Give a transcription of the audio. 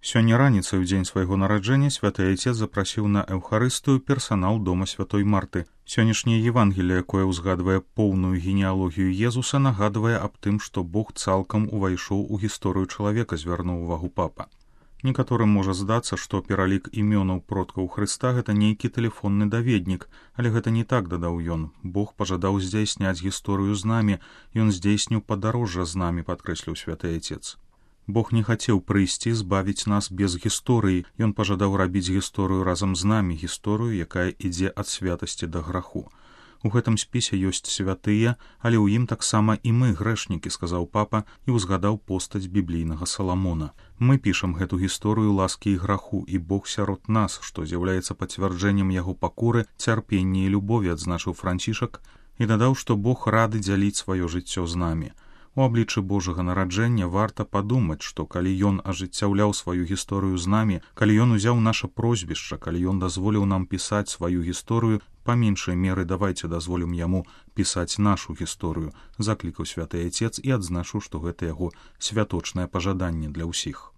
Сёння раніцай у дзень свайго нараджэння святы Айцец запрасіў на эўхарыстыю персанал дома святой Марты. Сённяшняе Евангелие, якое ўзгадвае поўную генеалогію Езуса, нагадвае аб тым, што Бог цалкам увайшоў у гісторыю чалавека, звярнуў увагу папа. Некаторым можа здацца, што пералік імёнаў продкаў Хрыста гэта нейкі тэлефонны даведнік, але гэта не так, дадаў ён. Бог пажадаў здзяйсняць гісторыю з намі, ён здзейсніў падарожжа з намі, падкрэсліў святы Айцец. Бог не хацеў прыйсці збавіць нас без гісторыі, ён пажадаў рабіць гісторыю разам з намі, гісторыю, якая ідзе ад святасці да граху. У гэтым спісе ёсць святыя, але ў ім таксама і мы, грэшнікі, сказаў папа і ўзгадаў постаць біблійнага Саламона. Мы пішам гэту гісторыю ласкі і граху, і Бог сярод нас, што з'яўляецца пацвярджэннем яго пакоры, цярпення і любові, адзначыў Францішак, і дадаў, што Бог рады дзяліць сваё жыццё з намі. У абліччы Божага нараджэння варта падумаць, што калі ён ажыццяўляў сваю гісторыю з намі, калі ён узяў наша прозвішча, калі ён дазволіў нам пісаць сваю гісторыю, па меншай меры давайце дазволім яму пісаць нашу гісторыю, заклікаў святы Айцец і адзначыў, што гэта яго святочнае пажаданне для ўсіх.